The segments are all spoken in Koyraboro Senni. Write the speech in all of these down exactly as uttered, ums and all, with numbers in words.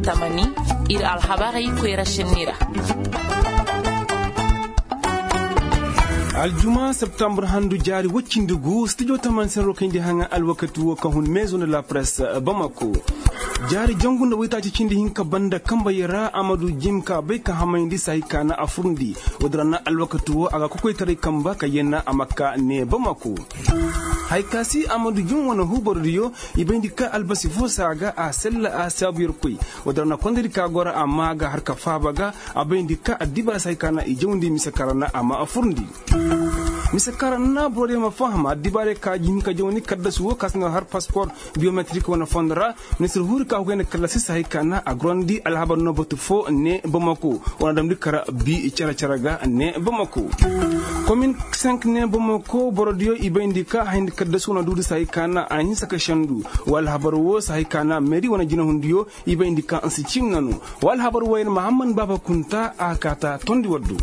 Tamani, ir alhabarey koyra senni ra. Aljuma septambur handu jaari woy cindi gu stijo tamani senni ra kayndi haŋa alwakati wo ka hun mezo nda la press bamako. Jaari jangu nda woytaaci cindi hinka banda kambayey ra amadu jim ka bay ka hamayndi sahi ka na a furndi. Woodin ra na alwakati wo a ga kokoytaray kamba ka yenna a ma ka ne bamako. Haya ka si amadu jim wane huubardiyo, i bayndi ka albasi fo se a ga a sella a saabu yerkoy. Woodin ra na kondaydi ka goro amma a ga har ka faaba ga. A bayndi ka addibaara se hay ka na i jawndi mise kaŋ ra na a ma a furndi. Mise kaŋ ra na borodiyo ma faham addibaarey ka jin ka jawndi kaddasu wo ka si no har paspor biyometrik wane fondo ra. Ministir huuri ka hugay nda kallasi se hay ka na a gorandi alhabar no batu fo ne bamako. Wane damndi kara bi cere-cere ga ne bamako. Komin senk ne bamako borodiyo i bayndi ka hayndi kaddasu wane duudi se hay ka na a hinsa ka sendu. Wa alhabar wo se hay ka na meeri wane jinahundiyo i bayndi ka nsi cim nanu. Wa alhabar wo yer mahamman baaba kunta a kaata tondi waddu.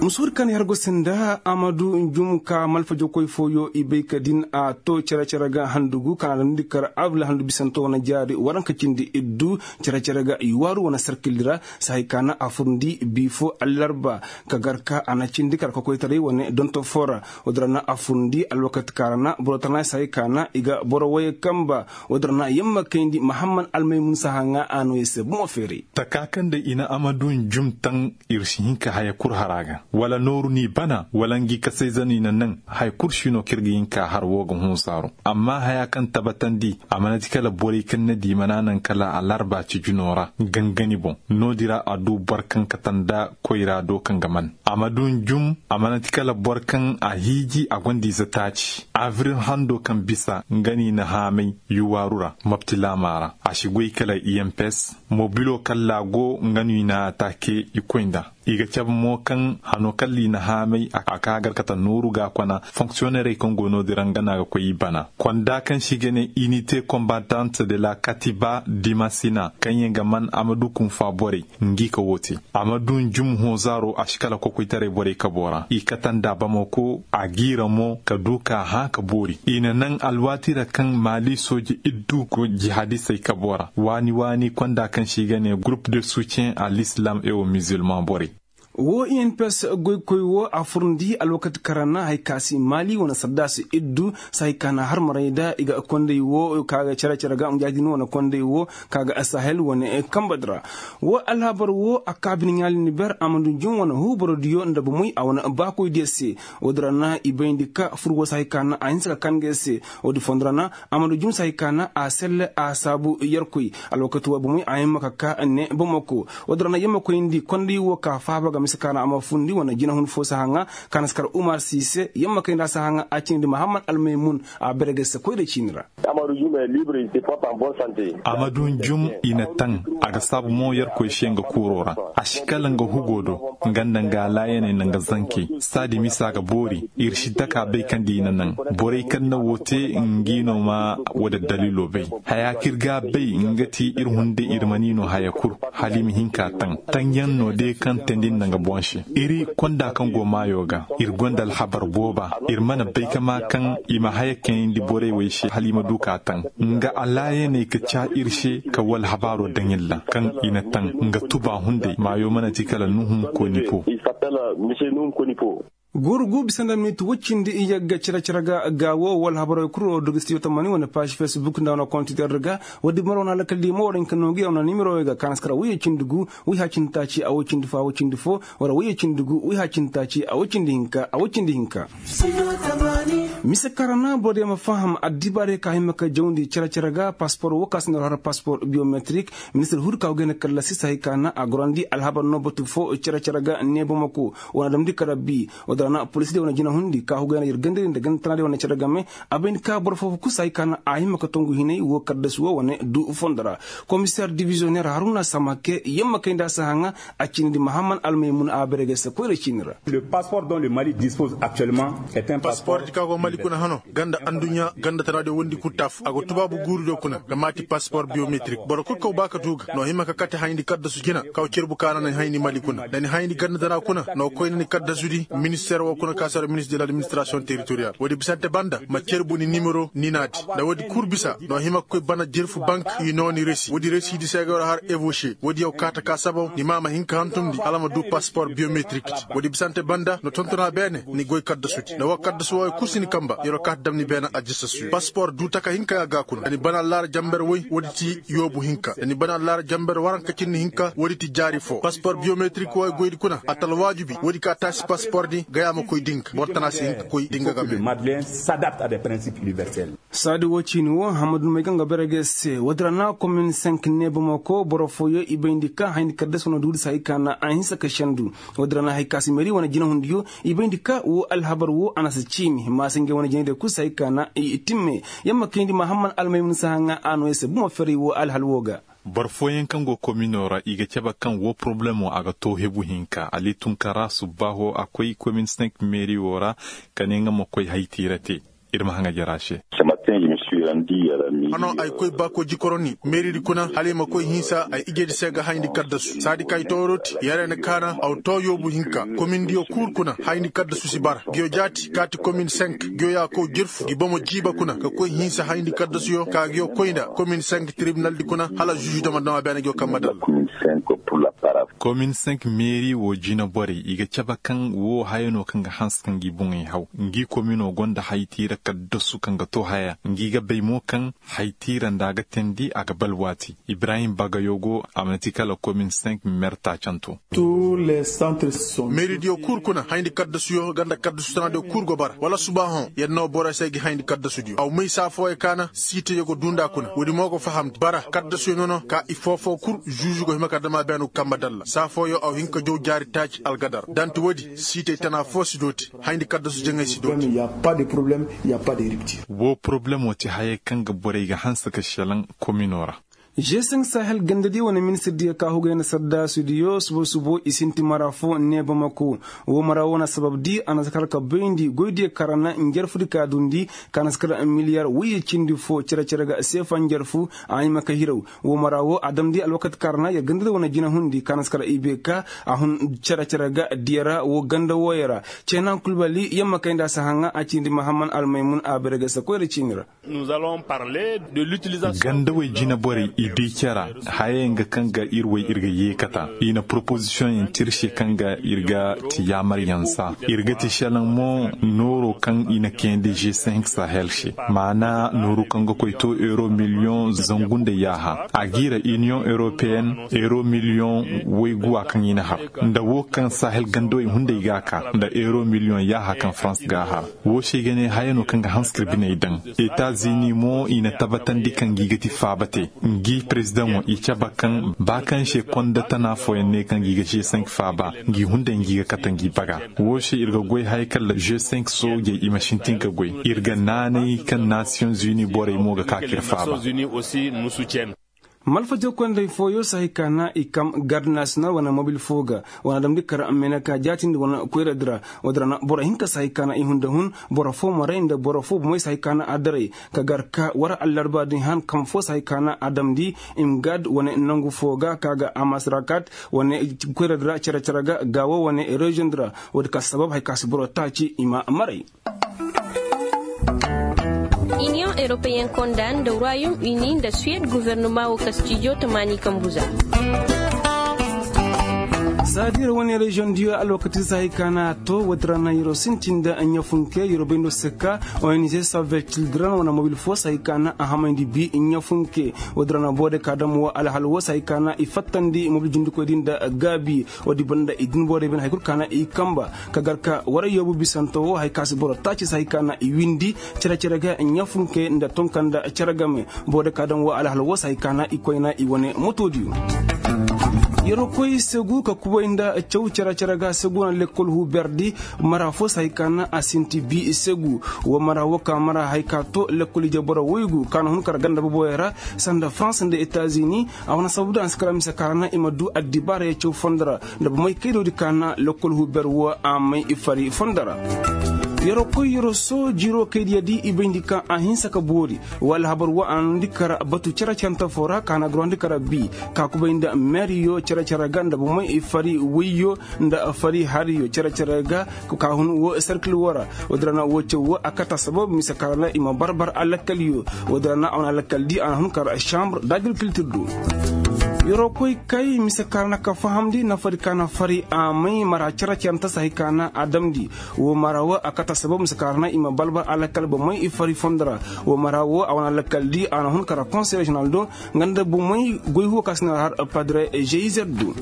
Musuur kaŋ i har go se nda amadu njum ka malfajokoy fooyo i bay ka din a to cere-cere ga handugu kaŋ a damndi kar abla handu bisanto wane jaari waranka cindi iddu. Cere-cere ga i waaru wane sarkildi ra se hay ka na a furndi bi fo allarba ka gar ka a na cindi kar ka koytaray wane donto fo ra. Woodin ra na a furndi alwakati kaŋ ra na boro tana se hay ka na i ga boro woyey kamba. Woodin ra na yamma kayndi mahamman almaymun sahaŋa a no i se bomo feeray. Taka kaŋ da i na amadu njum taŋ ir si hin ka haya kul har a ga wala nooru n'i bana wala ngi kasayzanu i na naŋ haya kul si no kaŋ ir ga hin ka har woo ga hunsaaro. Amma haya kaŋ tabatandi a mana ti kala borey kaŋ na di mana naŋ kala alarba ci junoo ra gangani boŋ. Noodin ra a du boro kaŋ kate nda koyra do kaŋ ga man a ma du njum. A mana ti kala boro kaŋ a hiiji a gonda ize taaci abril hando kaŋ bisa nga no i na haamay yuwaaru ra mopti laamaa ra. A si goy kala i m p s mobilo kaŋ laago nga no i na ataake i koy nda. I ga cabe mo kaŋ hano kaŋ ra i na haamay a ka gar kate nooru ga kona fonksiyonerey kaŋ go noodin ra nga no a ga koy i bana konda kaŋ se i ga ne inite kombatant de la katiba dimasina kaŋyaŋ ga man a ma du kunfa borey. Ngi ka woo te a ma du njum hoozaaro a si kala kokoytaray borey kaboo ra i kate nda bamako a giira mo ka du ka hã ka boori i na naŋ alwaati ra kaŋ maali sooje iddu go jihaadisey kaboo ra waani waani konda kaŋ se i ga ne gurup de suutiyen a l'islam et au musulman borey. Woo i n p s goykoy woo a furndi alwakati kaŋ ra na hari ka si maali wane saddaasi iddu se hari ka na harmaray nda i ga konday woo ka ga cere-cere ga njaadin wane konday woo ka ga sahel wane kambadi ra. Woo alhabar woo a kaa bine ɲaalindi ber a ma ndu jun wane huuborodiyo nda bomoy a wane baakoydiyo se. Woodi ra na i bayndi ka fur woo se hari ka na a hinsa ka kaa nga yer se. Woodi fondo ra na a ma ndu jun se hari ka na a selle a saabu yerkoy. Alwakati woo bomoy a hima ka kaa ne bamako. Woodi ra na yamma koyndi konday woo ka faaba ga mise ka na a ma fundi wane jinahun foo sahaŋa ka na si kar umar si se yamma kayndi a sahaŋa a cindi mahammad almaymun. A bere ga se koyra ciini ra. Amadu njum i na taŋ a ga saabu mo yerkoy se nga kuuroo ra. A si kala nga hugoo do nga nda nga alaayaney nda nga zankey. Saadi misa ga boori ir si taka bay kaŋ nda i na naŋ. Borey kaŋ na woo te ngi no ma woo da daliiloo bay. Hayaa kaŋ ir ga a bay nga ti ir hunday ir mana i no haya kul. Hala i ma hin ka taŋ taŋyaŋ no day kaŋ teendi nda nga boŋ se. Iri konda kaŋ go maayoo ga ir gonda alhabar booba. Ir mana bay ka maa kaŋ i ma haya kayandi borey wey se hala i ma du ka taŋ. Nga alaayaney ka caa ir se ka woo alhabaaroo daŋ ir ra kaŋ i na taŋ nga tuba hunday maayoo mana ti kala nuhum konipo. Guuru gu bisa nda minit woy cindi iyagga cere-cere ga ga woo woo alhabarey kul woo dogi stiyo tamani wane paaz fesbuk nda wane kontiter ga. Woodi mara wane alakal di mo war hin ka noo gi wane nimerowey ga ka na si kara woyey cindi gu woy haya cindi taaci a woy cindi foo a woy cindi foo. Wala woyey cindi gu woy haya cindi taaci a woy cindi hinka a woy cindi hinka. Mise kaŋ ra na borodiyo ma faham addibaarey ka hima ka jawndi cere-cere ga paspor woo ka si nda har paspor biyometrik. Ministir huru ka go gay nda kallasi se hari ka na a gorandi alhabar no batu foo cere-cere ga ne bamako. Wane damndi kara bi. Woodi ra na polisdiyo wane jinahundi ka go gay nda yer gandadi nda ganda tanaadiyo wane cere game. A bay ni ka boro foo foo kul se hari ka na a hima ka tongu hinay woo kaddasi woo wane du fondo ra. Komiseer diviziyoneer haruna samake yamma kayndi a sahaŋa. A ciinidi mahammad almaymun a bere gay se koyra ciini ra. Paspor di ka go Kuna hano ganda adduɲɲa ganda tana de wondi kul taafu a go tubaabu guuri do kuna ga maati pasipor biyometrik boro kul kaw ba ka du ga no hima ka kate hayndi kaddasu jina kaw cerbu kaana na ni hayndi mali kuna da ni hayndi ganda tana kuna no koy na ni kaddasu di minister wo kuna ka sara minister de l'administration territorial woodi bisante banda ma cerbu ni nimero ni naadi. Da woodi kul bisa no hima ka koy bana jerfu bank i no ni resi woodi resi di se ga war har evoce woodi yaw kaata ka sabaw ni ma ma hin ka hantumndi hala ma du pasipor biyometrik. Woodi bisante banda no tontona beene ni goy kaddasudi nda woo kaddasu wooyo kul si ni kamba yer woo kaa ta dam ni beene ajasasuyo pasipor duu taka hinka ya ga kuna da ni bana allaara jamber woy woodi ti yoobu hinka da ni bana allaara jamber waranka cinni hinka woodi ti jaari foo pasipor biyometrik wooyo goydi kuna a ta alwaajibi woodi ka taasi pasipor di gayaa ma koy dinga boro tana si hinka koy dinga game. Saadi woo ciini woo hammadu may kaŋ ga bare ga se woodi ra na komin senk neeba mako boro fooyo i bayndi ka hayndi kaddas wane duudi se hay ka na a hinsa ka sendu. Woodi ra na hay ka si meri wane jinahundiyo i bayndi ka woo alhabar woo a na si ciimi maasa ngey wane jinay day kul se hay ka na i timme. Yamma kayndi mahamman almaymun sahaŋa a no ya se bomo ferey woo alhal woo ga. Boro fooyaŋ kaŋ go kominoo ra i ga cabe kaŋ woo porobulemoo a ga too hebu hinka ali tun ka ra subbaaho a koy komin senk meeri woo ra ka ne nga ma koy haytiira te. Ir ma haŋa jara se. Hano ay koy baako jikoroni meeridi kuna hala i ma koy hinsa ay ijedi se ga hayndi kaddasu saadi ka ay tooyoro ti yare na kaana aw too yoobu hinka komindiyo kuur kuna hayndi kaddasu si bara ngiyo jaati kaati komin senk ngiyo ya kow jirfu ngi bomo jiiba kuna ka koy hinsa hayndi kaddasuyo ka ngiyo koy nda komin senk tiribinaldi kuna hala zuuzu dama dama beene ngiyo kamma dalla. Komin senk meeri woo jinaborey i ga cabe kaŋ woo haya no kaŋ ga hanse ka ngi boŋey haw ngi kominoo gonda haytiira kaddasu kaŋ ga too haya ngi ga bay mo kaŋ haytiira nda a ga teendi a ga balwaati ibrahim bagayogo a mana ti kala komin senk merta canto. Meeridiyo kul kuna hayndi kaddasuyo ganda kaddasu tanaadiyo kul go bara wala subaahoŋ yer na woo borey se gi hayndi kaddasudiyo aw may saa fooyo kaana siiteyo go duu nda kuna woodi mo go fahamndi bara kaddasuyo nono ka i foofoo kul zuuzu go hima ka dama beenu kamba dalla saa fooyo aw hin ka jow jaari taaci algadar danti woodi siitey tana foo si dooti hayndi kaddasu jaŋay si dooti. Woo porobulemoo ti hayey kaŋ ga borey ga hanse ka šelaŋ kominoo ra. Žeseŋ sahel gandadiyo wane ministirdiyo ka hugay na sardaasudiyo subo subo i sinti mara fo neeba mako. Woo mara woo na sababdi a na si kar ka bayndi goydiyo kaŋ ra na njarfudi ka duundi ka na si kar miliyar woyye cindi fo cere cere ga seefa njarfu a hima ka hiraw. Woo mara woo a damndi alwakati kaŋ ra na yer gandadiyo wane jinahundi ka na si kar ibe ka a hun cere cere ga diya ra woo ganda wooyo ra. Ceenan kulbali yamma kay nda a si haŋa a ciindi mahamman almaymun a bare ga sakoy ra ciini ra. Gandawey jinaborey i di cera hayey nga kaŋ ga ir way ir ga yeekata i na poropozisiyoŋ yaŋ tirse kaŋ ga ir ga ti yaamaryaŋ saa ir ga ti šelaŋ mo nooro kaŋ i na kayandi g cinq sahel se maana nooru kaŋ ga koy to euro miliyoŋ zangu nda yaaha a g'i ra iniyoŋ europeyen euro miliyoŋ wayguwa kaŋ i na har nda wo kaŋ sahel gandawey hunday ga a ka nda euro miliyoŋ yaaha kaŋ farans ga a har. Woo se i ga ne haya no kaŋ ga hanse ka ir biney daŋ. Etazini mo i na tabatandi kaŋ ngi ga ti faaba te ngi perezidaŋo i cabe kaŋ ba kaŋ se konda tana fooyaŋ ne kaŋ ngi ga g cinq faaba ngi hunday ngi ga kate ngi baga. Woo se ir ga goy haya kala g cinq soojey i ma sintin ga goy ir ga naanay kaŋ nasiyoŋ zuni borey mo ga ka ka ir faaba. Malfajey koy nda hay fooyo si hay ka na i kam garde nasiyonal wane mobil foo ga wane adamdi kar meeneka jaatindi wane koyradi ra. Woodi ra na boro hinka si hay ka na i hunda hun boro foo maray nda boro foo bomey si hay ka na a daray ka gar ka war allarba din han kam foo si hay ka na a damndi imgad wane nangu foo ga ka ga amasrakat wane koyradi ra cere cere ga gaawo wane reziyoŋ di ra. Woodi ka sabab hay ka si boro taaci i ma maray. Iniyoŋ europeyen konda nda royaume uni nda suwed guvernoma wo kastijo tamaani kambu za. Saadi ra wane reziyoŋ diyo alwakati si hay ka na a to woodi ra na yeroo sintin nda ɲafunke yeroo bay ndo si ka ong save children wane mobil foo si hay ka na a hamayndi bi ɲafunke. Woodi ra na boode ka dam wo alhal wo si hay ka na i fattandi mobil jindikoy din nda gaabi. Woodi banda i din borey bin hay kul ka na i kamba ka gar ka war yoobu bisanto wo hay ka si boro taaci si hay ka na i windi cere cere ga ɲafunke nda tonka nda cere game. Boode ka daŋ wo alhal wo si hay ka na i koyna i wane motoodiyo. Yeroo koy segu ka kubay nda caw cere cere ga segu na lekkol huuberdi mara fo si hay ka na a sinti bi segu. Wo mara wo ka mara hay ka to lekkol ije boro woygu ka na hun kar ganda boboyo ra sanda farans nda etazini. A wane sababu da a si kar a mise ka ra na i ma du addibaarey caw fondo ra nda bomey kaydoodi ka na lekkol huuber wo a may i fari fondo ra. Yeroo koy yeroo soo jiroo kay diya di i bayndi kaŋ a hinsa ka boori. Wala habar wo a na nundi kara batu cere-cerente foo ra ka na ga ruwandi kara bii, ka kubay nda meeriyo cere-cere ga nda bomey fari woyyo nda fari hariyo cere-cere ga. Ka hun wo serkil wo ra. Woodin ra na wo caw wo a kate assabab mise kaŋ ra na i ma barbar alakkalyo. Woodin ra na a wane alakkal di a na hun kara sambur dagirkiltir do. Yeroo koy kay mise kaŋ ra na ka fahamndi nafadi ka na fari a may mara cere-cerente se hay ka na a damndi. Woo mara woo a kate assabab mise kaŋ ra na i ma balbal alakal bomey i fari fondo ra. Woo mara woo a wane alakal di a na hun kara konsey reziyonaal do. Nga nda bomey goy huwo ka si na har padre jeizer do.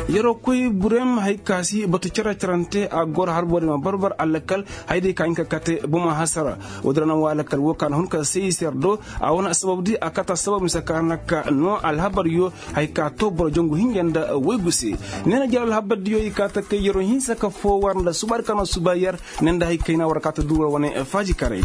Yeroo koy burem hay ka si batu cere-cerente a goro har boro i ma balbal alakal. Hay day ka hin ka kate boma hasara. Woodin ra na woo alakal woo ka na hun kara seiser do. A wane assabab di a kate assabab mise kaŋ ra na ka noo alhabaryo. Hay ka too boro jangu hinja nda waygu se. Ne na jare alhabardiyo i kaa ta kay yeroo hinsa ka foo war nda subaari kaŋ na suba yer. Ne nda hay kayna war kaa ta duu war wane faajikaray.